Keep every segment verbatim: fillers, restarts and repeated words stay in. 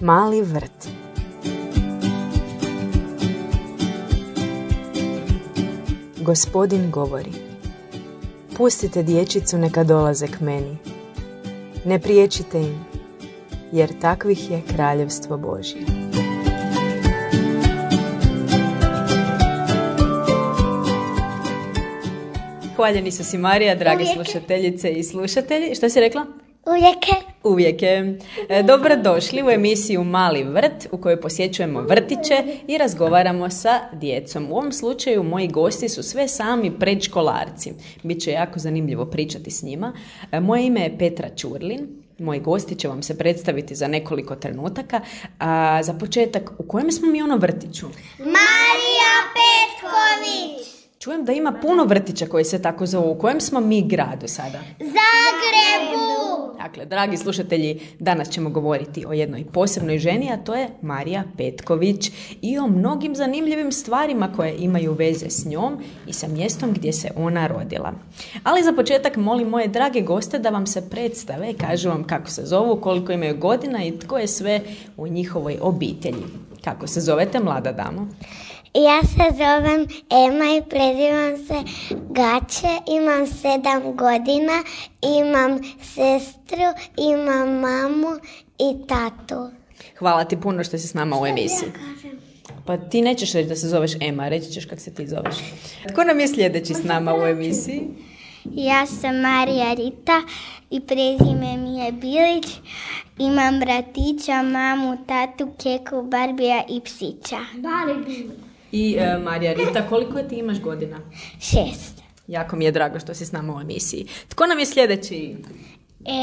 Mali vrt. Gospodin govori: pustite dječicu neka dolaze k meni. Ne priječite im, jer takvih je kraljevstvo Božje. Hvaljeni su si Marija, dragi Uvijek. slušateljice i slušatelji. Što si rekla? Uvijek. Uvijek je. E, Dobrodošli u emisiju Mali vrt u kojoj posjećujemo vrtiće i razgovaramo sa djecom. U ovom slučaju moji gosti su sve sami predškolarci. Biće jako zanimljivo pričati s njima. E, Moje ime je Petra Ćurlin. Moji gosti će vam se predstaviti za nekoliko trenutaka. A za početak, u kojem smo mi ono vrtiću? Marija Petković. Čujem da ima puno vrtića koji se tako zovu. U kojem smo mi gradu sada? Zagrebu. Dakle, dragi slušatelji, danas ćemo govoriti o jednoj posebnoj ženi, a to je Marija Petković i o mnogim zanimljivim stvarima koje imaju veze s njom i sa mjestom gdje se ona rodila. Ali za početak molim moje drage goste da vam se predstave i kažu vam kako se zovu, koliko imaju godina i tko je sve u njihovoj obitelji. Kako se zovete, mlada damo? Ja se zovem Ema i prezivam se Gaće, imam sedam godina, imam sestru, imam mamu i tatu. Hvala ti puno što si s nama u emisiji. Pa ti nećeš reći da se zoveš Ema, reći ćeš kako se ti zoveš. Tko nam je sljedeći s nama u emisiji? Ja sam Marija Rita i prezime mi je Bilić. Imam bratića, mamu, tatu, keku, Barbija i psića. I e, Marija Rita, koliko ti imaš godina? Šest. Jako mi je drago što si s nama u emisiji. Tko nam je sljedeći?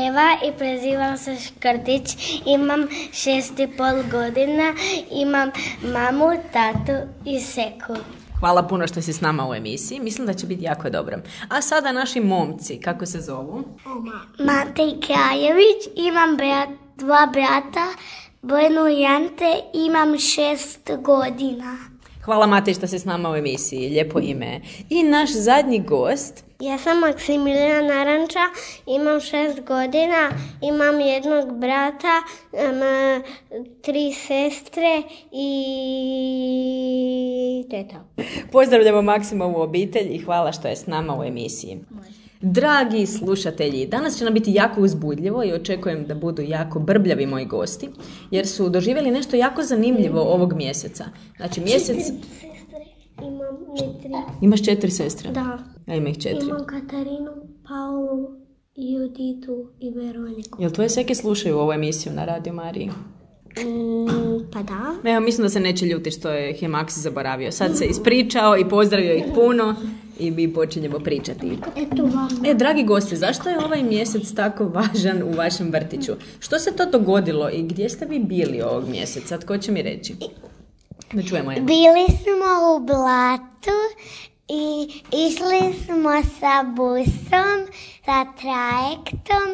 Eva i prezivam se Škrtić, imam šest i pol godina, imam mamu, tatu i seku. Hvala puno što si s nama u emisiji. Mislim da će biti jako dobro. A sada naši momci, kako se zovu? Matej Krajević, imam brat, dva brata, Bojanu i Ante, imam šest godina. Hvala Matej što si s nama u emisiji. Lijepo ime. I naš zadnji gost. Ja sam Maksimilijan Naranča, imam šest godina, imam jednog brata, um, tri sestre i teta. Pozdravljamo Maksimovu obitelj i hvala što je s nama u emisiji. Dragi slušatelji, danas će nam biti jako uzbudljivo i očekujem da budu jako brbljavi moji gosti, jer su doživjeli nešto jako zanimljivo ovog mjeseca. Znači mjesec... Imam ne tri. Imaš četiri sestre? Da. Ja imam ih četiri. Imam Katarinu, Paulu, Juditu i Veroniku. Jel tvoje seke slušaju ovu emisiju na Radio Mariji? Mm, pa da. Evo, mislim da se neće ljutiti što je ih je Maksi zaboravio. Sad se ispričao i pozdravio ih puno i mi počinjemo pričati. Eto vam. E, dragi gosti, zašto je ovaj mjesec tako važan u vašem vrtiću? Što se to dogodilo i gdje ste vi bili ovog mjeseca? Tko će mi reći? Da čujemo je. Bili smo u Blatu i išli smo sa busom, sa trajektom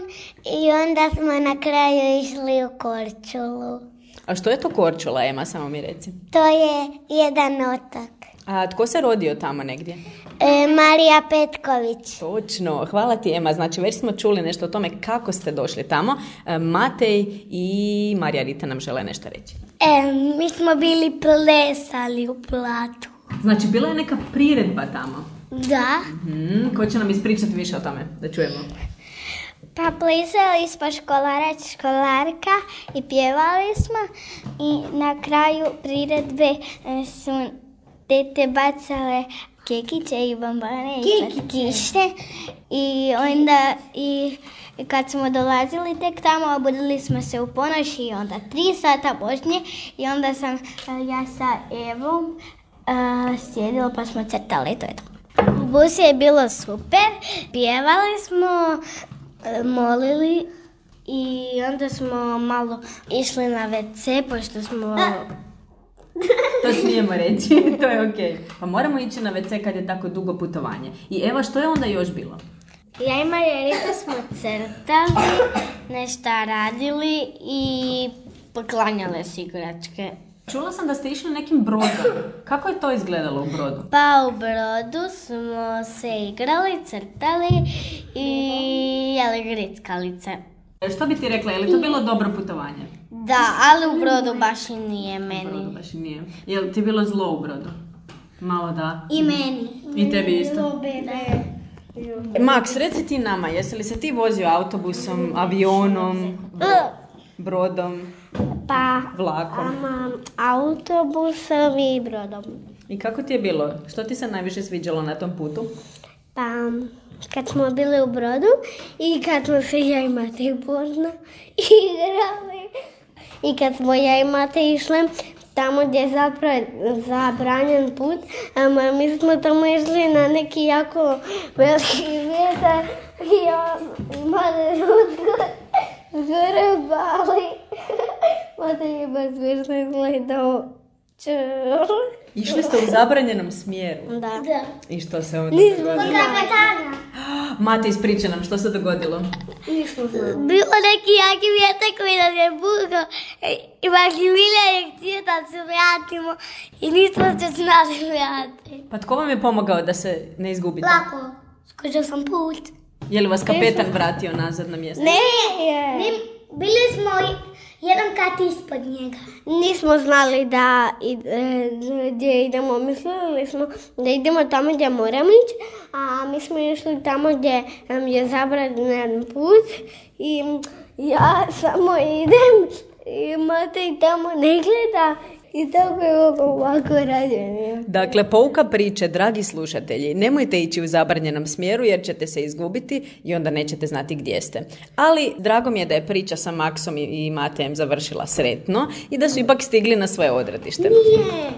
i onda smo na kraju išli u Korčulu. A što je to Korčula, Ema, samo mi reci? To je jedan otok. A tko se rodio tamo negdje? E, Marija Petković. Točno, hvala ti Ema. Znači već smo čuli nešto o tome kako ste došli tamo. E, Matej i Marija Rita nam žele nešto reći. E, mi smo bili plesali u Blatu. Znači bila je neka priredba tamo. Da. Hmm, ko će nam ispričati više o tome? Da čujemo. Pa plesali smo školarac, školarka i pjevali smo i na kraju priredbe e, su tete bacale kekiće i bombone i slatkiše i onda i kad smo dolazili tek tamo obudili smo se u ponoć i onda tri sata poslije i onda sam ja sa Evom uh, sjedila pa smo crtali, to je to. U busu je bilo super, pjevali smo, molili i onda smo malo išli na ve ce pošto smo... To smijemo reći, to je okej. Pa moramo ići na ve ce kad je tako dugo putovanje. I Eva, što je onda još bilo? Ja i Marija Rita smo crtali, nešto radili i poklanjale s igračke. Čula sam da ste išli nekim brodom. Kako je to izgledalo u brodu? Pa u brodu smo se igrali, crtali i jeli grickalice. Što bi ti rekla, je li to bilo dobro putovanje? Da, ali u Brodu baš i nije meni. Brodu baš i nije. Je li ti bilo zlo u Brodu? Malo da. I meni. I tebi isto. Max, reci ti nama, jesi li se ti vozio autobusom, avionom, brodom, Pa, vlakom? ama, autobusom i brodom. I kako ti je bilo? Što ti se najviše sviđalo na tom putu? Pa, kad smo bili u Brodu i kad smo se ja i Mate Božno igrali. I kad smo ja i Mate išli tamo gdje je zapravo zabranjen put, a mi smo tamo išli na neki jako veliki vjetar i ja i Mate Rutko zgore bali. Mate je baš smiješno gledao. Čur. Išli ste u zabranjenom smjeru? Da. Da. I što se onda Nismo dogodilo? znali. Mate, ispriča nam, što se dogodilo? Nismo znali. Bilo neki jaki vjetar koji nas je bukao i Maksimilija je htio da se vratimo i nismo se znali vratiti. Pa tko vam je pomogao da se ne izgubite? Lako. Skočio sam put. Je li vas kapetan vratio nazad na mjesto? Ne, ne, bili smo jedan kat ispod njega. Nismo znali da e, gdje idemo, mislili smo da idemo tamo gdje moramo ići, a mi smo išli tamo gdje nam je zabranjen put i ja samo idem i Mate i tamo ne gleda. I tako je ovako rađenje. Dakle, pouka priče, dragi slušatelji, nemojte ići u zabranjenom smjeru jer ćete se izgubiti i onda nećete znati gdje ste. Ali drago mi je da je priča sa Maksom i Matejem završila sretno i da su ipak stigli na svoje odredište. Nije.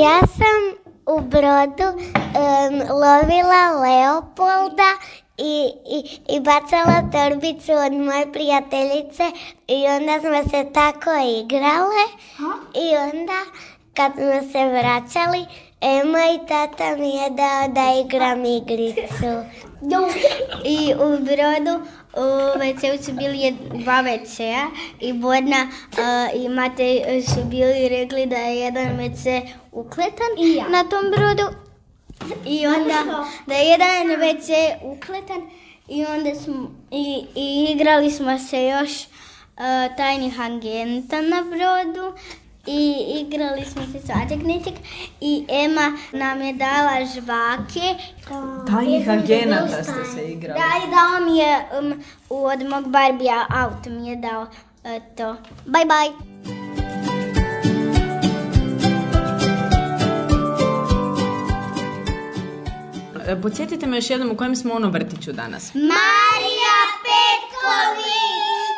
Ja sam u Brodu um, lovila Leopolda I, i, i bacala torbicu od moje prijateljice i onda smo se tako igrale. Ha? I onda kad smo se vraćali, Ema i tata mi je dao da igram igricu. I u Brodu u ve ce u su bili dva ve cea i Bodna uh, i Matej su bili rekli da je jedan ve ce ukletan ja. Na tom Brodu. I onda da je jedan ve ce ukletan i onda smo i, i igrali smo se još uh, tajnih agenta na Brodu i igrali smo se svačak nečeg i Ema nam je dala žvake. Tajnih agenata ste se igrali. Da, i dao mi je um, od mog Barbija auto mi je dao uh, to. Bye bye. Podsjetite me još jednom u kojem smo ono vrtiću danas. Marija Petković!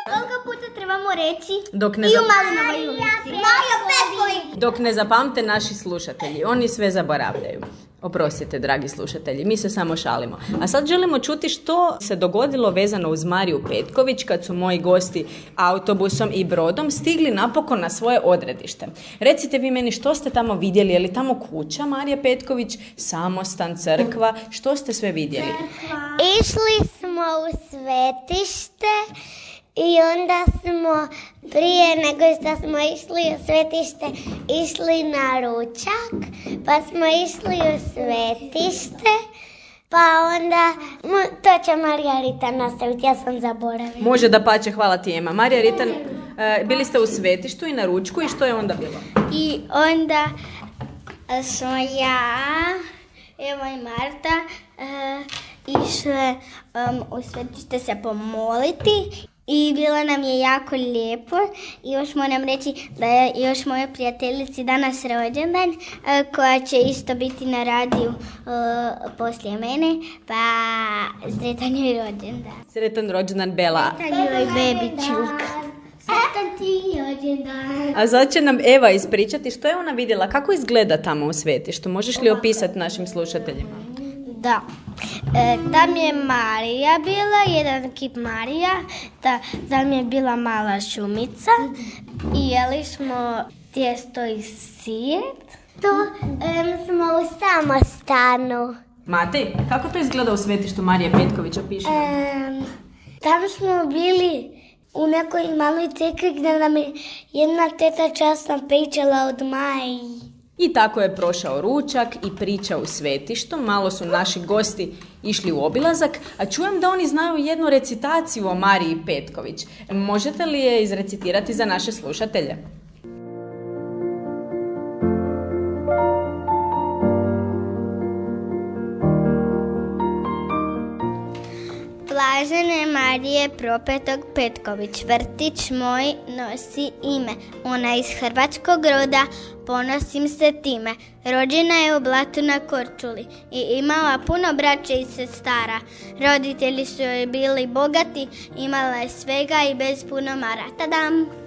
Koliko puta trebamo reći? Dok ne I u zap... Malinovoj ulici. Marija Petković! Dok ne zapamte naši slušatelji. Oni sve zaboravljaju. Oprostite, dragi slušatelji, mi se samo šalimo. A sad želimo čuti što se dogodilo vezano uz Mariju Petković kad su moji gosti autobusom i brodom stigli napokon na svoje odredište. Recite vi meni što ste tamo vidjeli, je li tamo kuća Marije Petković, samostan, crkva, što ste sve vidjeli? Išli smo u svetište i onda smo prije nego što smo išli u svetište išli na ručak, pa smo išli u svetište, pa onda to će Marija Ritan nastaviti, ja sam zaboravila. Može da pače, hvala ti Ema. Marija Ritan, uh, bili ste u svetištu i na ručku i što je onda bilo? I onda smo ja, Eva i Marta uh, išle um, u svetište se pomoliti. I bilo nam je jako lijepo i još moram reći da je još moje prijateljici danas rođendan koja će isto biti na radiju uh, poslije mene, pa sretan joj rođendan. Sretan rođendan Bela. Sretan joj bebičuk. Sretan ti rođendan. A sad će nam Eva ispričati što je ona vidjela, kako izgleda tamo u svetištu. Možeš li opisati našim slušateljima? Da. E, tam je Marija bila, jedan kip Marija, ta, tam je bila mala šumica i jeli smo tijesto i sir. To um, smo u samostanu. Matej, kako to izgleda u svetištu Marije Petković, opiši? Um, tam smo bili u nekoj maloj crkvi gdje nam je jedna teta časna pričala od Maji. I tako je prošao ručak i priča u svetištu. Malo su naši gosti išli u obilazak, a čujem da oni znaju jednu recitaciju o Mariji Petković. Možete li je izrecitirati za naše slušatelje? Blažene Marije Propetog Petković, vrtić moj nosi ime. Ona iz hrvatskog roda, ponosim se time. Rođena je u Blatu na Korčuli i imala puno braće i sestara. Roditelji su joj bili bogati, imala je svega i bez puno mara. Tadam!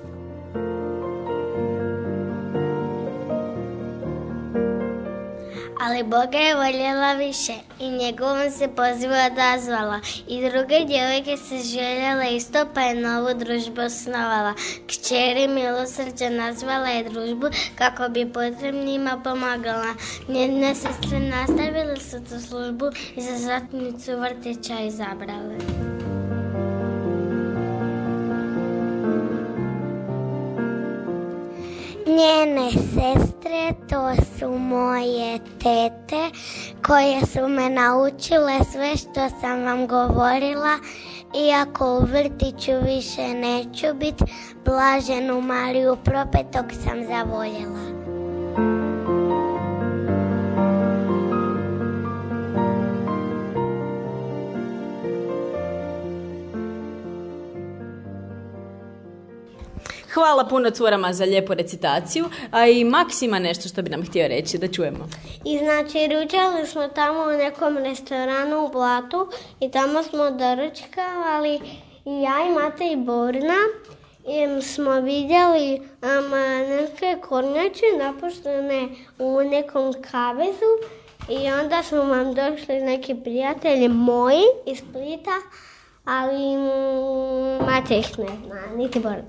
Ali Boga je voljela više i njegovom se pozivu odazvala. I druge djevojke se željele isto, pa je novu družbu osnovala. Kćeri milosrđa nazvala je družbu kako bi potrebnima pomagala. Njene sestre nastavile su tu službu i za zatnicu vrtića izabrale. Njene sestre, to su moje tete, koje su me naučile sve što sam vam govorila. Iako u vrtiću više neću biti, Blaženu Mariju Propetog sam zavoljela. Hvala puno curama za lijepu recitaciju, a i Maks ima nešto što bi nam htio reći, da čujemo. I znači, ručali smo tamo u nekom restoranu u Blatu i tamo smo doručkavali i ja i Mate i Borna i smo vidjeli um, neke kornjače napuštene u nekom kavezu i onda su vam došli neki prijatelji moji iz Splita, ali mm, Mate ih ne zna, niti Borna.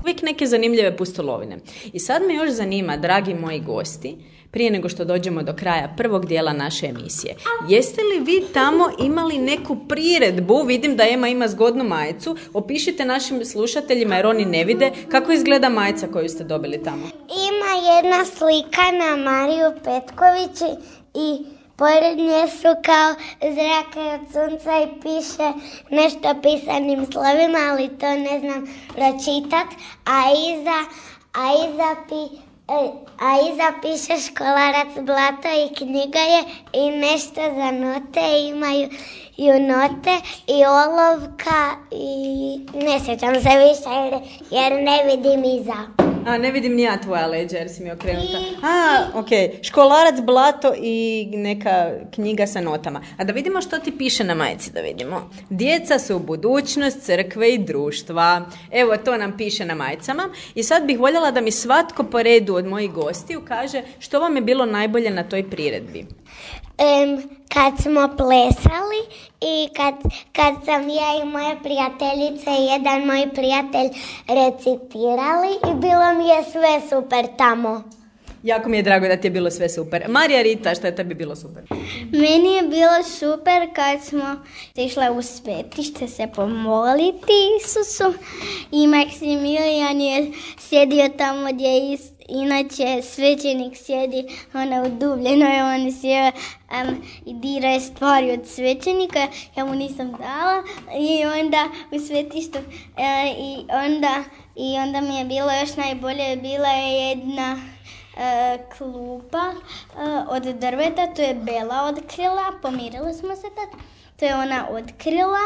Uvijek neke zanimljive pustolovine. I sad me još zanima, dragi moji gosti, prije nego što dođemo do kraja prvog dijela naše emisije, jeste li vi tamo imali neku priredbu? Vidim da Ema ima zgodnu majicu. Opišite našim slušateljima, jer oni ne vide, kako izgleda majica koju ste dobili tamo. Ima jedna slika na Mariju Petković i pored nje su kao zrake od sunca i piše nešto pisanim slovima, ali to ne znam pročitat, a iza, a iza, pi, a iza piše Školarac Blato i knjiga je i nešto za note, imaju i note i olovka i ne sjećam se više jer, jer ne vidim iza. A, ne vidim ni ja tvoja leđa jer si mi okrenuta. A, ok. Školarac Blato i neka knjiga sa notama. A da vidimo što ti piše na majici, da vidimo. Djeca su budućnost crkve i društva. Evo, to nam piše na majicama. I sad bih voljela da mi svatko po redu od mojih gostiju kaže što vam je bilo najbolje na toj priredbi. Um, kad smo plesali i kad, kad sam ja i moje prijateljice i jedan moj prijatelj recitirali i bilo mi je sve super tamo. Jako mi je drago da ti je bilo sve super. Marija Rita, što je tebi bilo super? Meni je bilo super kad smo išle u svetište se pomoliti Isusu i Maksimilijan je sjedio tamo gdje je inače svećenik sjedi ona u dubljenoj, on sjeo um, i dira je stvari od svećenika, ja mu nisam dala i onda u svetištu uh, i, onda, i onda mi je bilo još najbolje, bila je jedna uh, klupa uh, od drveta, to je Bela otkrila, pomirili smo se tad, to je ona otkrila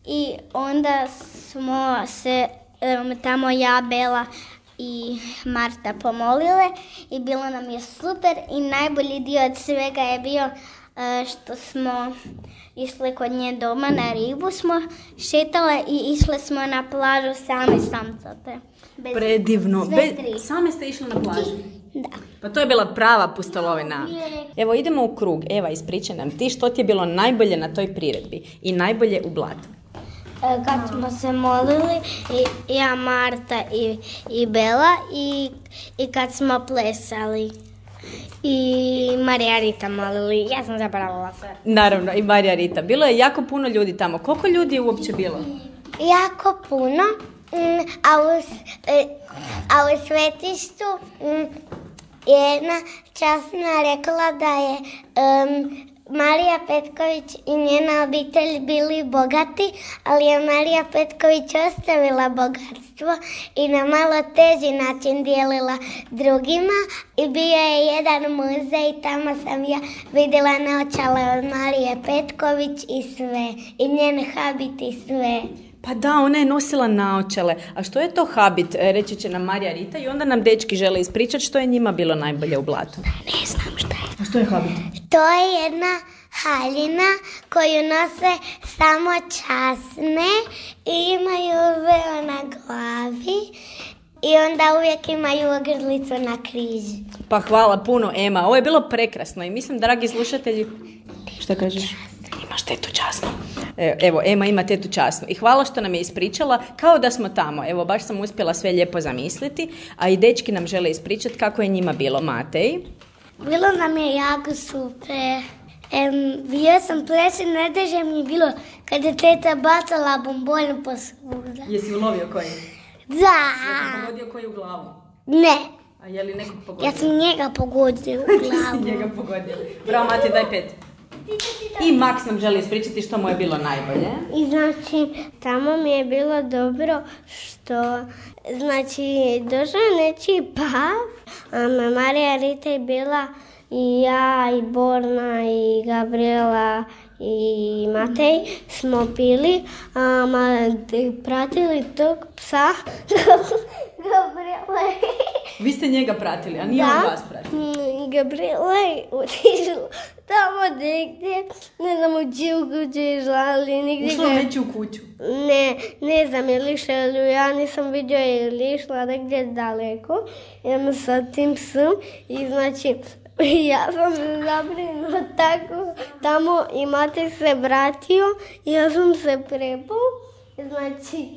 i onda smo se um, tamo ja, Bela i Marta pomolile i bilo nam je super i najbolji dio od svega je bio uh, što smo išli kod nje doma na ribu, smo šetale i išle smo na plažu same samcate. Bez, Predivno. Be, same ste išli na plažu? Da. Pa to je bila prava pustolovina. Evo idemo u krug. Eva, ispričaj nam ti što ti je bilo najbolje na toj priredbi i najbolje u Blatu. Kad smo se molili, i, ja, Marta i, i Bela i, i kad smo plesali. I Marija Rita molili, ja sam zaboravila sve. Naravno, i Marija Rita. Bilo je jako puno ljudi tamo. Koliko ljudi je uopće bilo? Jako puno, a u, a u svetištu jedna časna rekla da je um, Marija Petković i njena obitelj bili bogati, ali je Marija Petković ostavila bogatstvo i na malo teži način dijelila drugima i bio je jedan muzej i tamo sam ja vidjela naočale od Marije Petković i sve, i njen habit i sve. Pa da, ona je nosila naočale. A što je to habit, reći će nam Marija Rita i onda nam dečki žele ispričati što je njima bilo najbolje u blatu. Ne znam šta je. A što je habit? To je jedna haljina koju nose samo časne i imaju veo na glavi i onda uvijek imaju ogrlicu na križi. Pa hvala puno, Ema. Ovo je bilo prekrasno i mislim, dragi slušatelji... Šta kažeš? Imaš tetu časnu. Evo, Ema ima tetu časnu. I hvala što nam je ispričala kao da smo tamo. Evo, baš sam uspjela sve lijepo zamisliti, a i dečki nam žele ispričati kako je njima bilo. Matej? Bilo nam je jako super. Um, bio sam pleći, najteže mi je bilo kada je teta bacala bombonu po svuda. Jesi ulovio koji? Da. Jesi pogodio koji u glavu? Ne. A je li nekog pogodio? Ja sam njega pogodio u glavu. Ti si njega pogodio. Bravo, Matej, daj pet. I Max nam želi ispričati što mu je bilo najbolje. I znači, tamo mi je bilo dobro što, znači, došao nečiji pav, a Marija Rita je bila i ja, i Borna, i Gabriela, i Matej smo bili, a pratili tog psa, Gabriela. Vi ste njega pratili, a nije on vas pratio. Gabriela je otišla tamo negdje, ne znam u čiju kuću je išla, ali nigdje... Ušla u nečiju kuću? Ne, ne znam je li išla, ali ja nisam vidio je li išla negdje daleko. Idem sa tim psom i znači... Ja sam se zabrinula tako tamo i Matej se vratio i ja sam se prepao, znači,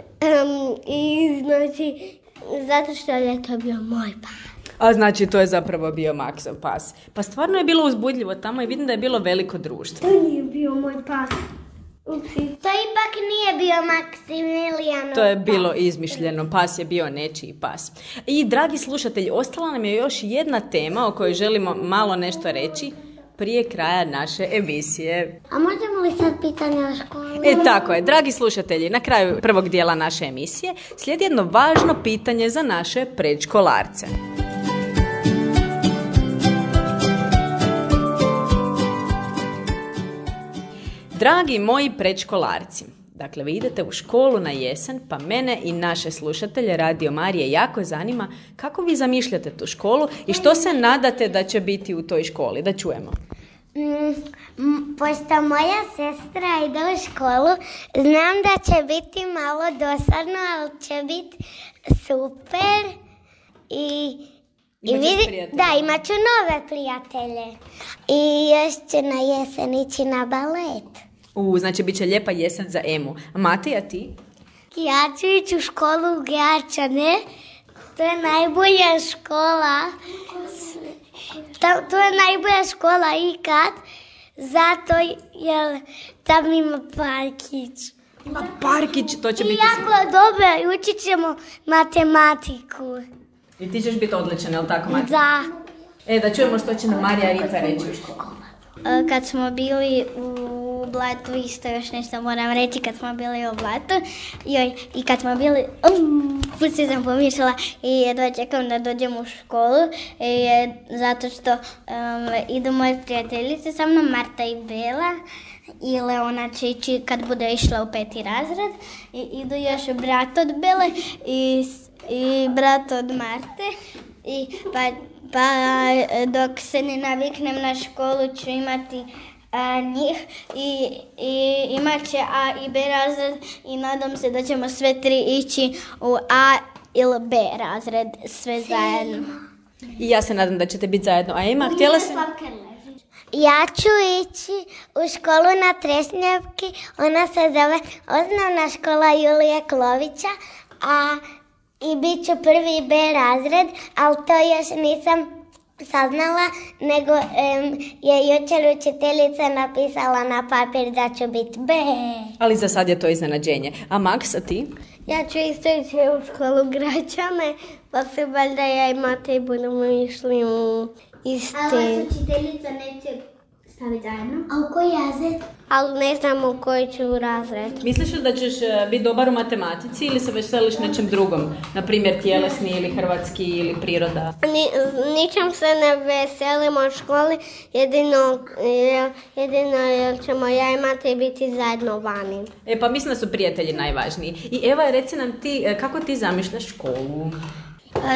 um, i znači, zato što je to bio moj pas. A znači to je zapravo bio Maxov pas. Pa stvarno je bilo uzbudljivo tamo i vidim da je bilo veliko društvo. To nije bio moj pas. Upsi. To ipak nije bio Maksimilijanov pas. To je bilo izmišljeno, pas je bio nečiji pas. I dragi slušatelji, ostala nam je još jedna tema o kojoj želimo malo nešto reći prije kraja naše emisije. A možemo li sad pitanje o školi? E tako je, dragi slušatelji, na kraju prvog dijela naše emisije slijedi jedno važno pitanje za naše predškolarce. Dragi moji predškolarci, dakle vi idete u školu na jesen, pa mene i naše slušatelje Radio Marije jako zanima kako vi zamišljate tu školu i što se nadate da će biti u toj školi, da čujemo. Mm, pošto moja sestra ide u školu, znam da će biti malo dosadno, ali će biti super i... I vidi, da, imat ću nove prijatelje. I još ću na jesen ići na balet. U, znači bit će lijepa jesen za Emu. A Matej, a ti? Ja ću ići u školu u Gračane. To je najbolja škola. To je najbolja škola ikad. Zato jer tam ima parkić. Ima parkić, to će I biti... jako dobro, i učit ćemo matematiku. I ti ćeš biti odličan, je li tako, Matej? Da. E, da čujemo što će nam Marija Rita reći u školu. Kad smo bili u Blatu, isto još nešto moram reći, kad smo bili u Blatu, joj, i kad smo bili, um, pusti sam pomišljala i jedva čekam da dođem u školu, i, zato što um, idu moje prijateljice sa mnom, Marta i Bela, i Leona će ići kad bude išla u peti razred, i idu još brat od Bele i, i brat od Marte, i pa Pa dok se ne naviknem na školu ću imati a, njih i, i imat će A i B razred i nadam se da ćemo sve tri ići u A ili B razred, sve zajedno. I ja se nadam da ćete biti zajedno. A Ema, htjela se... Ja ću ići u školu na Trešnjevki, ona se zove Osnovna škola Julije Klovića, a i bit ću prvi B razred, ali to još nisam saznala, nego um, je jučer učiteljica napisala na papir da ću biti B. Ali za sad je to iznenađenje. A Max, a ti? Ja ću isto ići u školu Gračane, pa se valjda ja i Matej budemo išli u iste. Ali vas učiteljica neće staviti zajedno? A u koji razred? Ali ne znam u koji ću razred. Misliš li da ćeš biti dobar u matematici ili se veseliš nečem drugom? Na primjer tjelesni ili hrvatski ili priroda? Ni, ničem se ne veselimo u školi, jedino, jedino jer ćemo ja i Matej biti zajedno vani. E pa mislim da su prijatelji najvažniji. I Eva, reci nam ti, kako ti zamišljaš školu?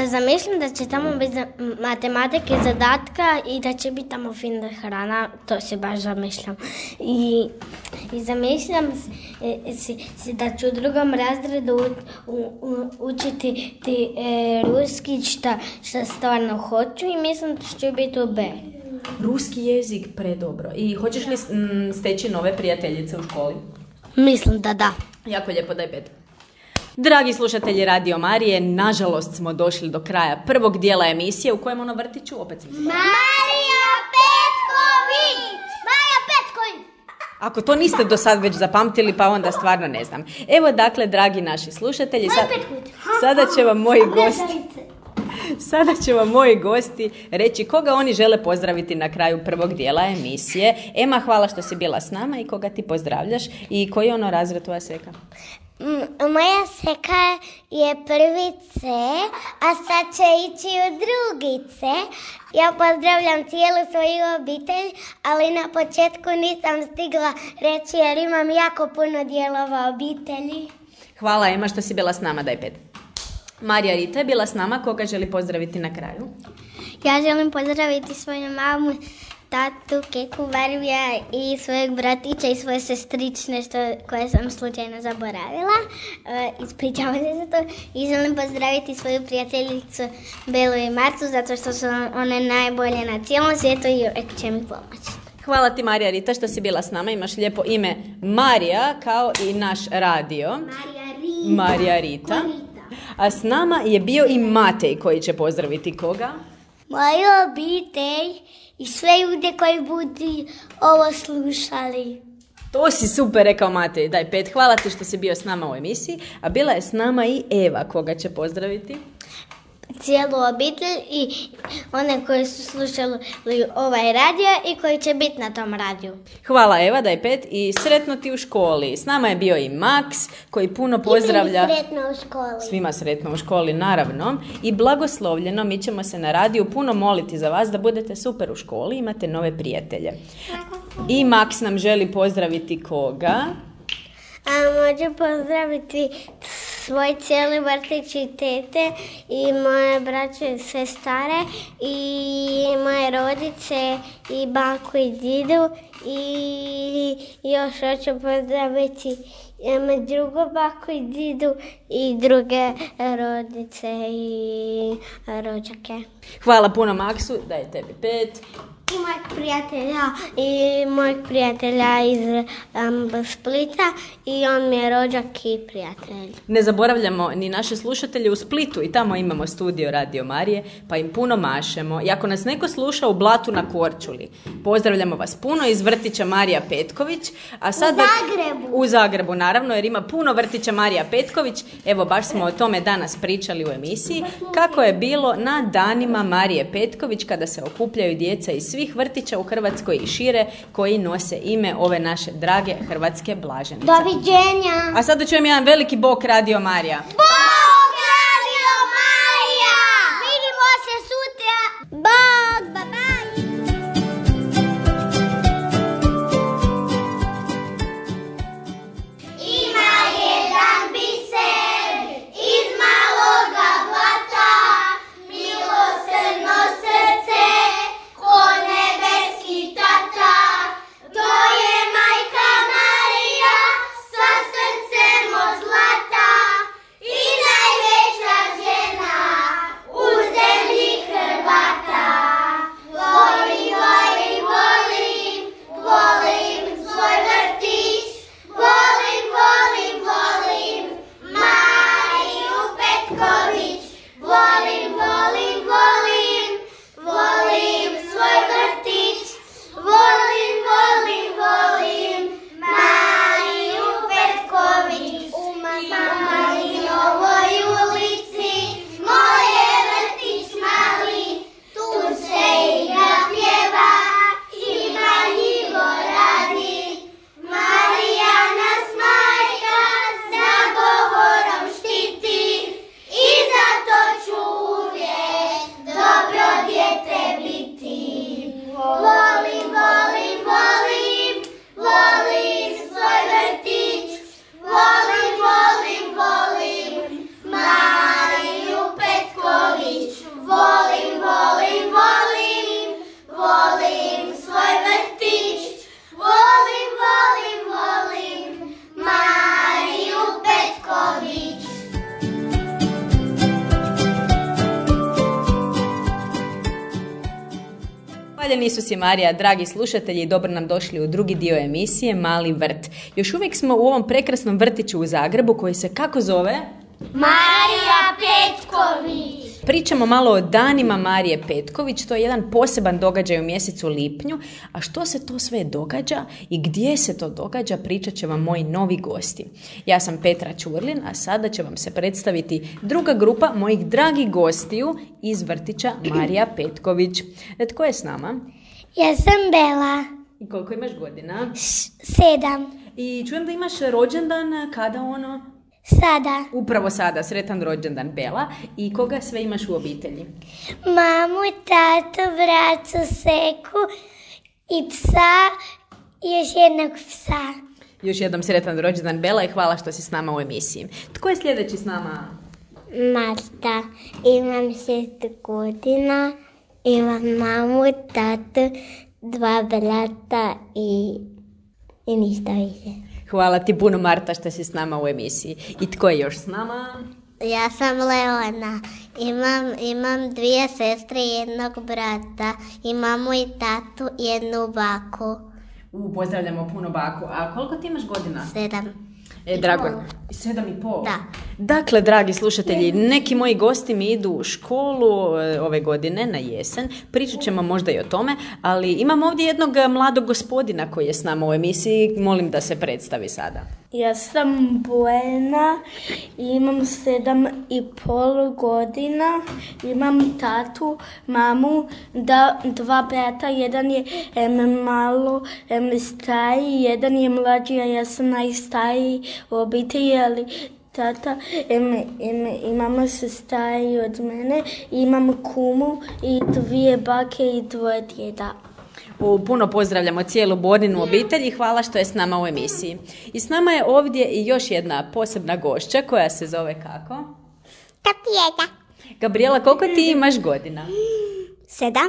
Zamišljam da će tamo biti matematike, zadatka i da će biti tamo fina hrana, to se baš zamišljam. I, i zamišljam si, si da ću u drugom razredu u, u, učiti ti, e, ruski, šta, šta stvarno hoću i mislim da ću biti u B. Ruski jezik, predobro. I hoćeš li m, steći nove prijateljice u školi? Mislim da da. Jako lijepo, daj pet. Dragi slušatelji Radio Marije, nažalost smo došli do kraja prvog dijela emisije u kojem ono vrtiću, opet sam zvala. Marija Petković! Marija Petković! Ako to niste do sad već zapamtili, pa onda stvarno ne znam. Evo dakle, dragi naši slušatelji, sad, sada će vam moji gosti... Sada će vam moji gosti reći koga oni žele pozdraviti na kraju prvog dijela emisije. Ema, hvala što si bila s nama i koga ti pozdravljaš i koji je ono razred tvoja seka? Moja seka je prvi C, a sad će ići u drugi C. Ja pozdravljam cijelu svoju obitelj, ali na početku nisam stigla reći jer imam jako puno dijelova obitelji. Hvala Ema što si bila s nama, daj pet. Marija Rita je bila s nama, koga želi pozdraviti na kraju? Ja želim pozdraviti svoju mamu, tatu, keku, Varvija i svojeg bratića i svoje sestrične što, koje sam slučajno zaboravila. E, ispričavam se za to. I želim pozdraviti svoju prijateljicu Belu i Marcu zato što su one najbolje na cijelom svijetu i uvijek će mi pomoći. Hvala ti Marija Rita što si bila s nama. Imaš lijepo ime Marija kao i naš radio. Marija Rita. Marija Rita. A s nama je bio i Matej koji će pozdraviti koga? Moju obitelj i sve ljude koji budu ovo slušali. To si super rekao Matej, daj pet. Hvala ti što si bio s nama u emisiji. A bila je s nama i Eva, koga će pozdraviti? Cijelu obitelj i one koji su slušali ovaj radio i koji će biti na tom radiju. Hvala Eva, daj pet i sretno ti u školi. S nama je bio i Max koji puno pozdravlja. I sretno u školi. Svima sretno u školi, naravno. I blagoslovljeno, mi ćemo se na radiju puno moliti za vas da budete super u školi, imate nove prijatelje. I Max nam želi pozdraviti koga? A može pozdraviti svoj cijeli vrtić i tete i moje braće i sestre i moje rodice i baku i didu i još hoću pozdraviti drugu baku i didu i druge rodice i rođake. Hvala puno Maksu, daj tebi pet. I mojeg prijatelja i mojeg prijatelja iz um, Splita i on mi je rođak i prijatelj. Ne zaboravljamo ni naše slušatelje u Splitu i tamo imamo studio Radio Marije, pa im puno mašemo. I ako nas neko sluša u Blatu na Korčuli, pozdravljamo vas puno iz vrtića Marija Petković. A sad u Zagrebu. U Zagrebu, naravno, jer ima puno vrtića Marija Petković. Evo, baš smo o tome danas pričali u emisiji, kako je bilo na danima Marije Petković kada se okupljaju djeca iz svih vrtića u Hrvatskoj i šire koji nose ime ove naše drage hrvatske blaženice. Doviđenja! A sada čujem jedan veliki bok Radio Marija. Bog Radio Marija! Vidimo se sutra! Bog, bye bye! Ima jedan biser iz maloga blata, milosrdno srce ko nebeski tata. To je majka Marija sa srcem od zlata i Hvaljeni Isus i Marija, dragi slušatelji, dobro nam došli u drugi dio emisije Mali vrt. Još uvijek smo u ovom prekrasnom vrtiću u Zagrebu koji se kako zove? Marija Petković. Pričamo malo o danima Marije Petković, to je jedan poseban događaj u mjesecu lipnju, a što se to sve događa i gdje se to događa pričat će vam moji novi gosti. Ja sam Petra Ćurlin, a sada će vam se predstaviti druga grupa mojih dragih gostiju iz vrtića Marija Petković. Tko je s nama? Ja sam Bela. I koliko imaš godina? Š- sedam. I čujem da imaš rođendan, kada ono? Sada. Upravo sada, sretan rođendan Bela. I koga sve imaš u obitelji? Mamu, tatu, bracu, seku i psa i još jednog psa. Još jednom sretan rođendan Bela i hvala što si s nama u emisiji. Tko je sljedeći s nama? Marta. Imam šest godina. Imam mamu, tatu, dva brata i, i ništa više. Hvala ti puno Marta što si s nama u emisiji. I tko je još s nama? Ja sam Leona. Imam, imam dvije sestre i jednog brata. I mamu i tatu i jednu baku. U, pozdravljamo puno baku. A koliko ti imaš godina? Sedam. E, drago. Sedam i pol? Da. Dakle, dragi slušatelji, neki moji gosti mi idu u školu e, ove godine, na jesen. Pričat ćemo možda i o tome, ali imam ovdje jednog mladog gospodina koji je s nama u emisiji. Molim da se predstavi sada. Ja sam Buena, imam sedam i pol godina, imam tatu, mamu, da, dva brata, jedan je em, malo em, stariji, jedan je mlađi, a ja sam najstariji u obitelji, ali tata em, em, i mama su stariji od mene, imam kumu i dvije bake i dvoje djeda. U, puno pozdravljamo cijelu Borinu obitelj i hvala što je s nama u emisiji. I s nama je ovdje i još jedna posebna gošća koja se zove kako? Gabriela. Gabriela, koliko ti imaš godina? Sedam.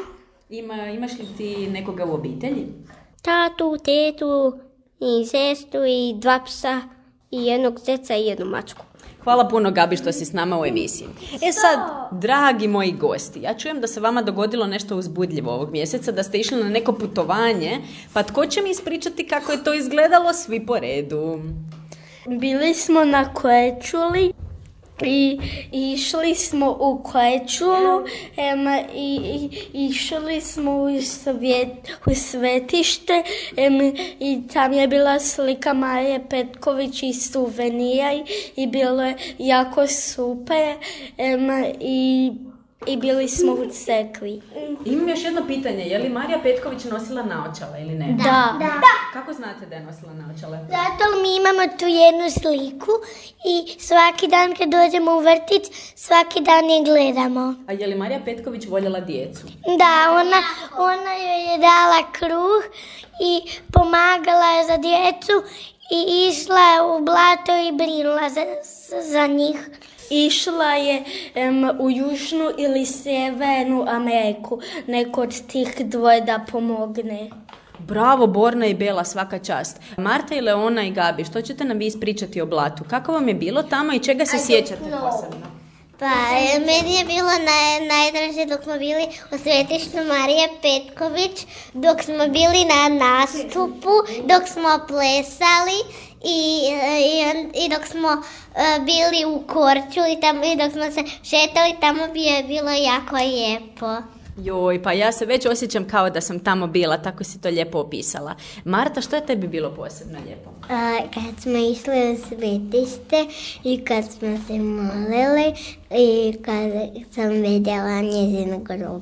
Ima, imaš li ti nekoga u obitelji? Tatu, tetu i sestru i dva psa i jednog zeca i jednu mačku. Hvala puno Gabi što si s nama u emisiji. E sad, dragi moji gosti, ja čujem da se vama dogodilo nešto uzbudljivo ovog mjeseca, da ste išli na neko putovanje, pa tko će mi ispričati kako je to izgledalo svi po redu? Bili smo na Korčuli i išli smo u Korčulu em, i, i išli smo u, svjet, u svetište em, i tam je bila slika Marije Petković i suvenira i, i bilo je jako super em, i, i bili smo u crkvi. Imam još jedno pitanje, je li Marija Petković nosila naočale ili ne? Da. Da. Kako znate da je nosila naočale? Zato mi imamo tu jednu sliku i svaki dan kad dođemo u vrtić, svaki dan je gledamo. A je li Marija Petković voljela djecu? Da, ona, ona joj je dala kruh i pomagala je za djecu i išla je u blato i brinula za, za njih. Išla je em, u Južnu ili Sjevernu Ameriku, neko od tih dvoje da pomogne. Bravo, Borna i Bela, svaka čast. Marta i Leona i Gabi, što ćete nam vi ispričati o blatu? Kako vam je bilo tamo i čega se sjećate posebno? Pa, meni je bilo naj, najdraže dok smo bili u svetištu Marije Petković, dok smo bili na nastupu, dok smo plesali i, i, i dok smo uh, bili u Korčuli i, tamo, i dok smo se šetali, tamo bi je bilo jako lijepo. Joj, pa ja se već osjećam kao da sam tamo bila, tako si to lijepo opisala. Marta, što je tebi bilo posebno lijepo? Uh, kad smo išli u svetište i kad smo se molili i kad sam vidjela njezin grob.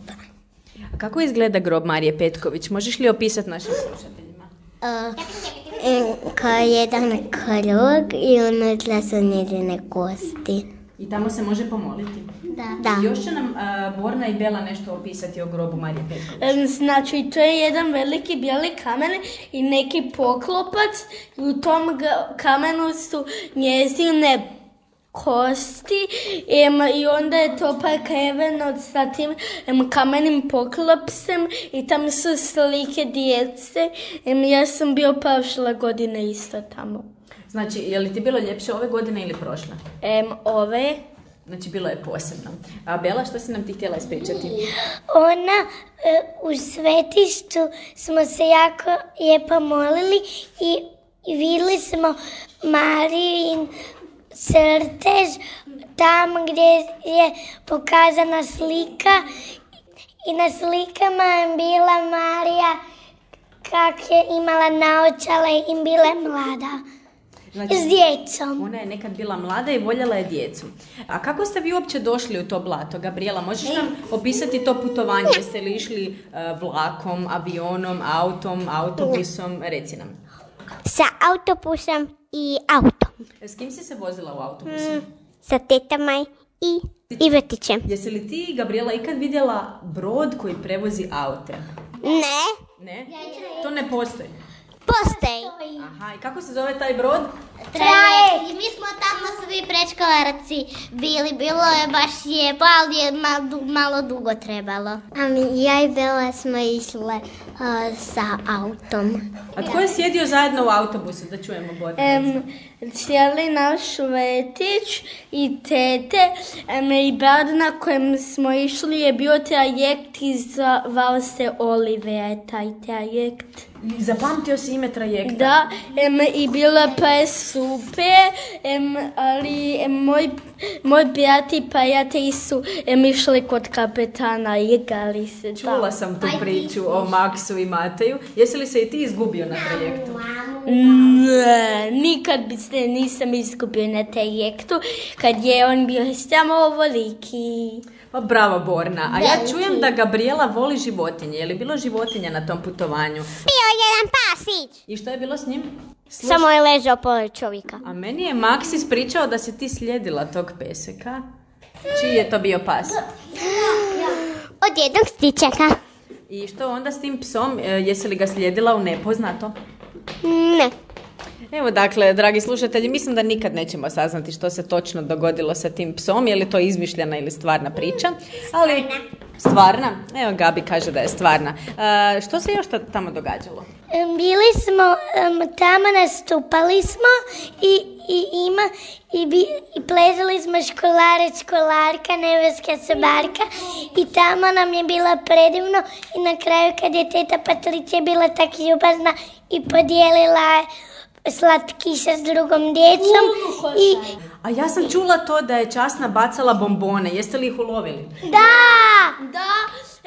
A kako izgleda grob Marije Petković? Možeš li opisati našim slušateljima? Uh, kao jedan krug i unutra su njezine kosti. I tamo se može pomoliti? Da. da. Još će nam uh, Borna i Bela nešto opisati o grobu Marije Petković. Em, Znači, to je jedan veliki bijeli kamen i neki poklopac i u tom ga- kamenu su njezine kosti em, i onda je to prekriveno sa tim em, kamenim poklopsem i tam su slike djece. Em, ja sam bio prošle godine isto tamo. Znači, je li ti bilo ljepše ove godine ili prošle? Em, ove Znači, bilo je posebno. A Bela, što si nam ti htjela ispričati? Ona, u svetištu smo se jako lijepo molili i, i vidjeli smo Marijin crtež tamo gdje je pokazana slika i na slikama je bila Marija kak je imala naočale i bila je mlada. Znači, s djecom. Ona je nekad bila mlada i voljela je djecu. A kako ste vi uopće došli u to blato, Gabriela? Možeš nam opisati to putovanje? Jeste li išli uh, vlakom, avionom, autom, autobusom? Reci nam. Sa autobusom i autom. S kim si se vozila u autobusu? Mm, sa tetama i, i vrtićem. Jesi li ti, Gabriela, ikad vidjela brod koji prevozi aute? Ne. Ne? To ne postoji. Postoji. Aha, i kako se zove taj brod? Trajekt. I mi smo tamo svi predškolarci bili. Bilo je baš lijepo, ali je malo, malo dugo trebalo. A mi, ja i Bela smo išle uh, sa autom. A tko je sjedio zajedno u autobusu? Da čujemo Borka. Um, cijeli naš vrtić i tete um, i brat na kojem smo išli je bio trajekt i zvao se Oliver, taj trajekt. Zapamtio si ime trajekta? Da, um, i bilo je super, um, ali um, moj, moj brat i prijatelji su um, išli kod kapetana i igrali se. Čula da. sam tu priču o Maksu i Mateju. Jesi li se i ti izgubio na trajektu? Ne, nikad bi se nisam izgubio na trajektu kad je on bio samo ovoliki. Pa bravo, Borna. A ja čujem da Gabriela voli životinje. Je li bilo životinja na tom putovanju? Bio jedan pasić. I što je bilo s njim? Sluš... Samo je ležao pored čovjeka. A meni je Maks ispričao da si ti slijedila tog peseka. Čiji je to bio pas? Od jednog stičaka. I što onda s tim psom? Jesi li ga slijedila u nepoznato? Ne. Evo, dakle, dragi slušatelji, mislim da nikad nećemo saznati što se točno dogodilo sa tim psom, je li to izmišljena ili stvarna priča. Ali, stvarna? Evo, Gabi kaže da je stvarna. E, što se još tamo događalo? Bili smo um, tamo, nastupali smo i, i ima i, bi, i plezali smo školarac, školarka, nebeska sobarka i tamo nam je bilo predivno i na kraju kad je teta Patricija bila tak ljubazna i podijelila slatkiše s drugom djecom. I... A ja sam čula to da je Časna bacala bombone. Jeste li ih ulovili? Da! Da,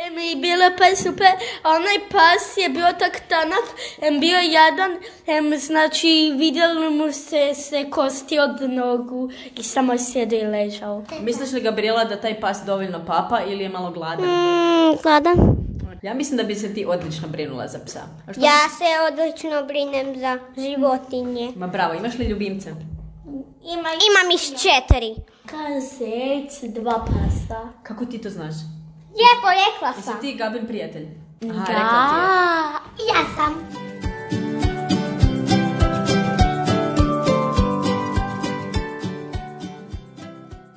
em, i bilo pa super. Onaj pas je bio tak tanak, em, bio jadan, em, znači vidjeli mu se, se kosti od nogu i samo sjedio i ležao. Misliš li, Gabriela, da taj pas dovoljno papa ili je malo gladan? Mm, gladan. Ja mislim da bi se ti odlično brinula za psa. A što... Ja se odlično brinem za životinje. Ma bravo, imaš li ljubimce? Ima, imam ih četiri. Kazec, dva pasa. Kako ti to znaš? Lijepo, rekla sam. Jesi ti Gabin prijatelj? Aha, Da. rekla ti je. Ja sam.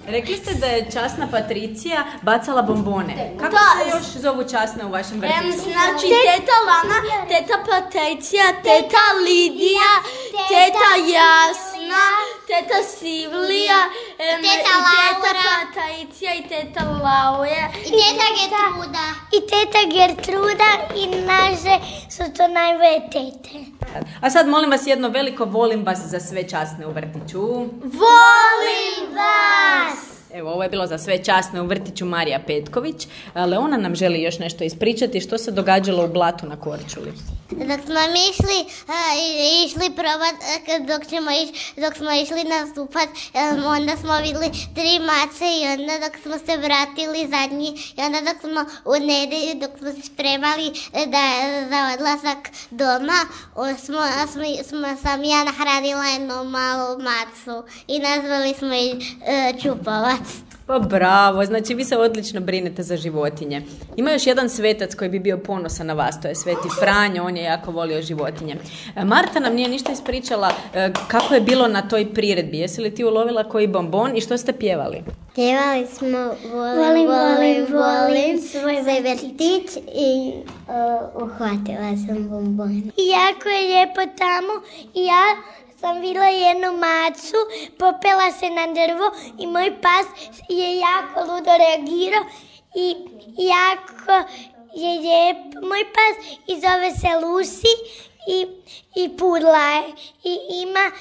Rekli ste da je Časna Patricija bacala bombone. Kako Da. se još zovu Časne u vašem Em, vrtiću? znači teta Lana, teta Patricija, teta Lidija, teta Jasna, teta Sivlija, em, Teta i teta Laura. Patricija i teta Laura. I teta Gertruda. I teta Gertruda i naše su to najbolje tete. A sad molim vas jedno veliko volim vas za sve Časne u vrtiću. Volim vas! Evo, ovo je bilo za sve Časne u vrtiću Marija Petković. Leona nam želi još nešto ispričati što se događalo u blatu na Korčuli. Dok smo mi išli, uh, išli probat, uh, dok, ćemo iš, dok smo išli nastupat, um, onda smo vidjeli tri mace i onda dok smo se vratili zadnji i onda dok smo u nedelju, dok smo se spremali da, za odlazak doma, o, smo, smo, smo, sam ja nahranila jednu malu macu i nazvali smo je uh, Čupovac. Pa bravo, znači vi se odlično brinete za životinje. Ima još jedan svetac koji bi bio ponosan na vas, to je Sveti Franjo, on je jako volio životinje. Marta nam nije ništa ispričala kako je bilo na toj priredbi. Jesi li ti ulovila koji bombon i što ste pjevali? Pjevali smo volim, Volim, volim, volim, volim, svoj svoj vrtić. vrtić i uh, uhvatila sam bombone. I jako je lijepo tamo i ja sam vidjela jednu macu, popela se na drvo i moj pas je jako ludo reagirao i jako je lijep moj pas i zove se Lucy i, i pudla je i ima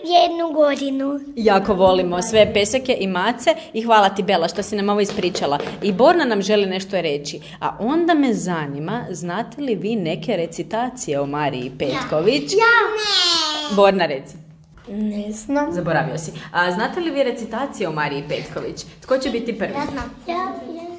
jednu godinu. Jako volimo sve peseke i mace i hvala ti Bela što si nam ovo ispričala. I Borna nam želi nešto reći. A onda me zanima, znate li vi neke recitacije o Mariji Petković? Ja! Ne! Borna, reci. Ne znam. Zaboravio si. A znate li vi recitacije o Mariji Petković? Tko će biti prvi? Ja znam. Ja, ja.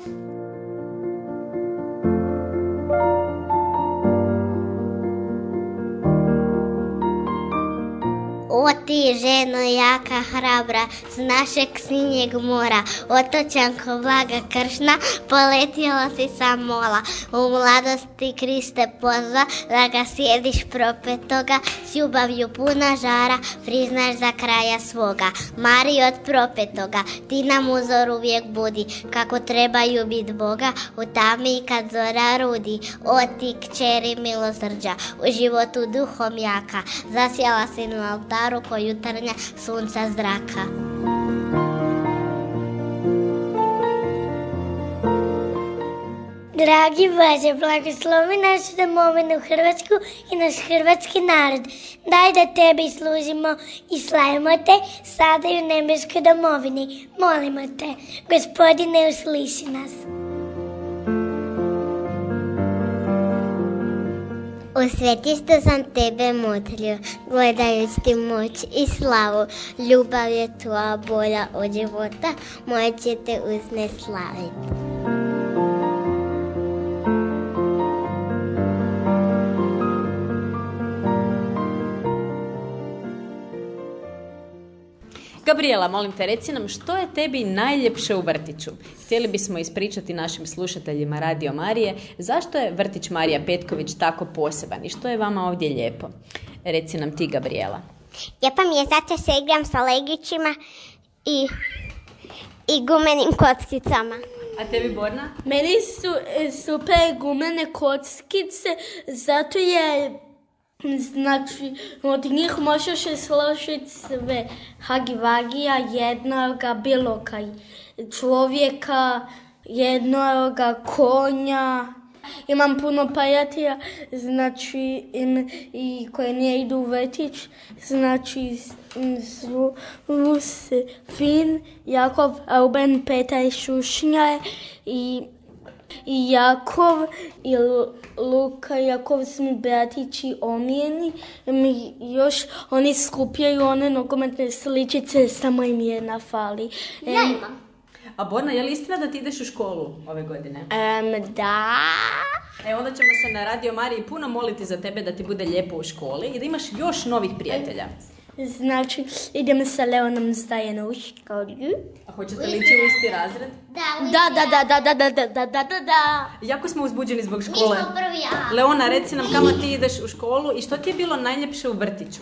O ti ženo jaka hrabra, s našeg sinjeg mora, otočanko blaga kršna, poletjela si sa mola. U mladosti Kriste pozva, da ga sjediš propetoga, s ljubavlju puna žara, priznaš za kraja svoga. Mari od propetoga, ti nam uzor uvijek budi, kako trebaju bit Boga, u tami kad zora rudi. O ti kćeri milosrđa, u životu duhom jaka, zasjela si na oltaru ko jutarnja sunca zraka. Dragi Bože, blagoslovi našu domovinu Hrvatsku i naš hrvatski narod. Daj da tebi služimo i slavimo te sada i u nebeskoj domovini. Molimo te, Gospodine, usliši nas. U svetištu sam tebe motlio, gledajući ti moć i slavu. Ljubav je tvoja bolja od života, moje će te uzne slaviti. Gabriela, molim te, reci nam što je tebi najljepše u vrtiću? Htjeli bismo ispričati našim slušateljima Radio Marije zašto je vrtić Marija Petković tako poseban i što je vama ovdje lijepo. Reci nam ti, Gabriela. Lijepo mi je zato se igram sa legićima i, i gumenim kockicama. A tebi, Borna? Meni su e, super gumene kockice, zato je, znači, od njih možeš složiti sve. Hagi-vagija, jednoga, bilo kaj čovjeka, jednoga konja. Imam puno prijatelja, znači, im, i koje nije idu u vrtić, znači, su Lucy, Fin, Jakov, Ruben, Petar, Šušnja i i Jakov i Luka, Jakov su mi bratići omijeni. Mi još oni skupljaju one nogometne sličice, samo im jedna fali. Ja imam. A Borna, je li istina da ti ideš u školu ove godine? Um, da. E, onda ćemo se na Radio Mariji puno moliti za tebe da ti bude lijepo u školi i da imaš još novih prijatelja. Znači, idem sa Leonom Zdajena u školu. A hoćete li ići u isti razred? Da, Da, da, da, da, da, da, da, da, da, da. Jako smo uzbuđeni zbog mi škole. smo prvi A. Leona, reci nam kamo ti ideš u školu i što ti je bilo najljepše u vrtiću?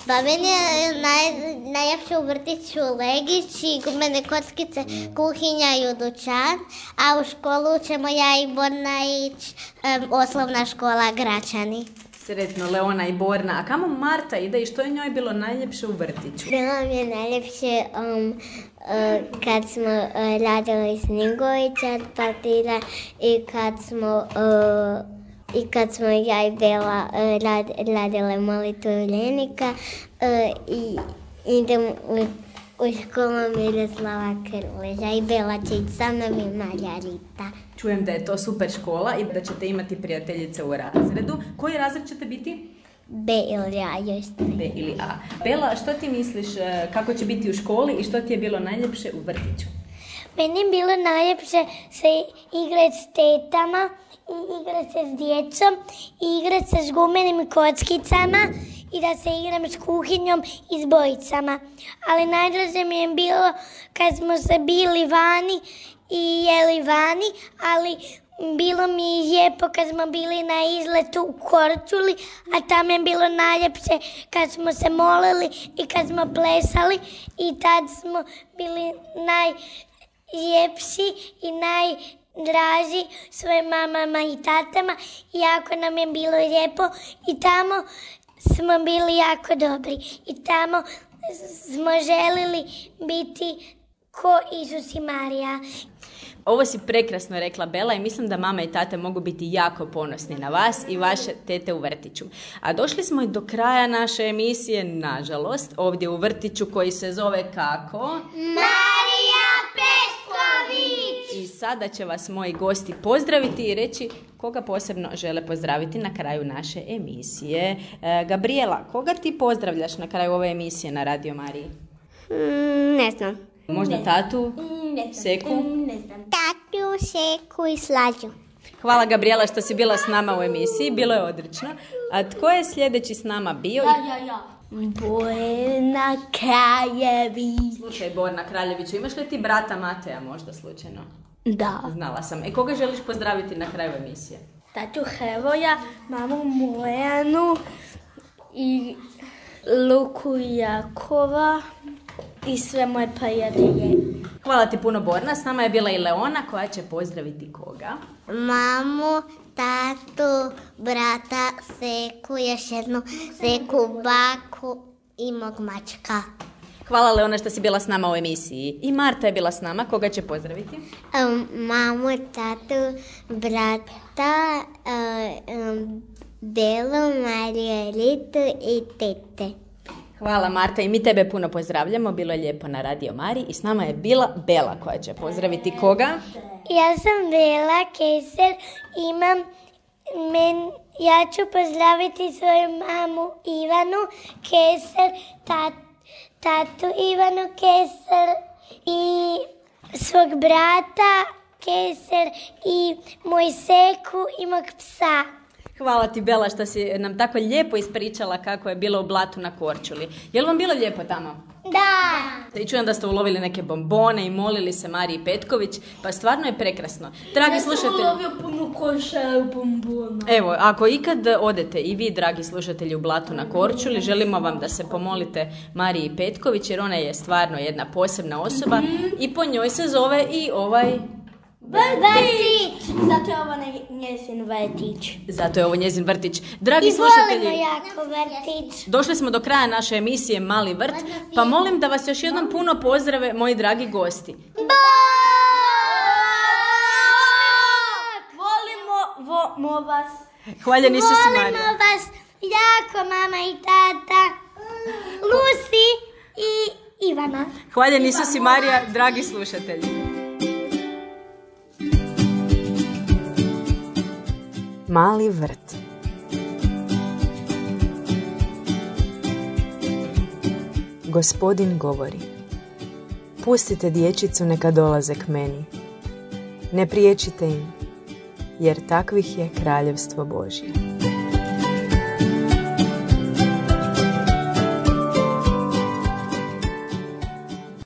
Pa meni je naj, najljepše u vrtiću legići, gumene kockice, kuhinja i dućan, a u školu ćemo ja i Borna ići, um, osnovna škola Gračani. Sretno, Leona i Borna. A kamo Marta ide i što je njoj bilo najljepše u vrtiću? Bilo mi je najljepše um, uh, kad smo uh, radili snjegovića od papira i kad smo uh, i kad smo ja i Bela uh, rad, radile molitvu Ljenika uh, i idem u, u školu Miroslava Krleža i Bela će ići sa mnom i Marjarita. Čujem da je to super škola i da ćete imati prijateljice u razredu. Koji razred ćete biti? B ili A još ne. B ili A. Bela, što ti misliš e, kako će biti u školi i što ti je bilo najljepše u vrtiću? Meni je bilo najljepše se igrati s tetama, i igrati se s djecom, i igrati se s gumenim kockicama i da se igram s kuhinjom i s bojicama. Ali najdraže mi je bilo kad smo se bili vani i jeli vani, ali bilo mi je lijepo kad smo bili na izletu u Korčuli, a tam je bilo najljepše kad smo se molili i kad smo plesali i tad smo bili najljepši i najdraži svojim mamama i tatama i jako nam je bilo lijepo i tamo smo bili jako dobri i tamo smo želili biti ko Isus i Marija. Ovo si prekrasno rekla, Bela, i mislim da mama i tate mogu biti jako ponosni na vas i vaše tete u vrtiću. A došli smo i do kraja naše emisije, nažalost, ovdje u vrtiću koji se zove kako? Marija Petković! I sada će vas moji gosti pozdraviti i reći koga posebno žele pozdraviti na kraju naše emisije. E, Gabriela, koga ti pozdravljaš na kraju ove emisije na Radio Mariji? Mm, ne znam. Možda ne. tatu? Ne znam. Seku? Ne znam. Tatu, Seku i Slađu. Hvala Gabriela što si bila s nama u emisiji, bilo je odlično. A tko je sljedeći s nama bio? Ja, ja, ja. Borna Kraljević. Slušaj, Borna Kraljeviću, imaš li ti brata Mateja možda slučajno? Da. Znala sam. E, koga želiš pozdraviti na kraju emisije? Tatu Hevoja, mamu Mojanu i Luku Jakova i sve moje prijatelje. Hvala ti puno, Borna. S nama je bila i Leona koja će pozdraviti koga? Mamu, tatu, brata, Seku, još jednu Seku, baku i mog mačka. Hvala Leona što si bila s nama u emisiji. I Marta je bila s nama. Koga će pozdraviti? Um, mamu, tatu, brata, uh, um, Belu, Mariju, Ritu i tete. Hvala Marta i mi tebe puno pozdravljamo. Bilo je lijepo na Radio Mariji i s nama je bila Bela koja će pozdraviti koga? Ja sam Bela Keser, imam, men, ja ću pozdraviti svoju mamu Ivanu Keser, tat, tatu Ivanu Keser i svog brata Keser i moj Seku i mog psa. Hvala ti, Bela, što si nam tako lijepo ispričala kako je bilo u Blatu na Korčuli. Je li vam bilo lijepo tamo? Da! I čujem da ste ulovili neke bombone i molili se Mariji Petković, pa stvarno je prekrasno. Dragi slušatelji, Ja sam ulovio puno košara bombona. evo, ako ikad odete i vi, dragi slušatelji, u Blatu na Korčuli, želimo vam da se pomolite Mariji Petković, jer ona je stvarno jedna posebna osoba mm-hmm. i po njoj se zove i ovaj... Vrtić! Zato je ovo ne- njezin vrtić. Zato je ovo njezin vrtić. Dragi I slušatelji, volimo jako vrtić. došli smo do kraja naše emisije Mali vrt, pa molim da vas još jednom puno pozdrave moji dragi gosti. Volimo vo, mo vas. Hvaljeni Isus i Volimo Marija. vas jako, mama i tata, Lucy i Ivana. Hvaljeni Isus i Marija, dragi slušatelji. Mali vrt. Gospodin govori: pustite dječicu neka dolaze k meni. Ne priječite im, jer takvih je kraljevstvo Božje.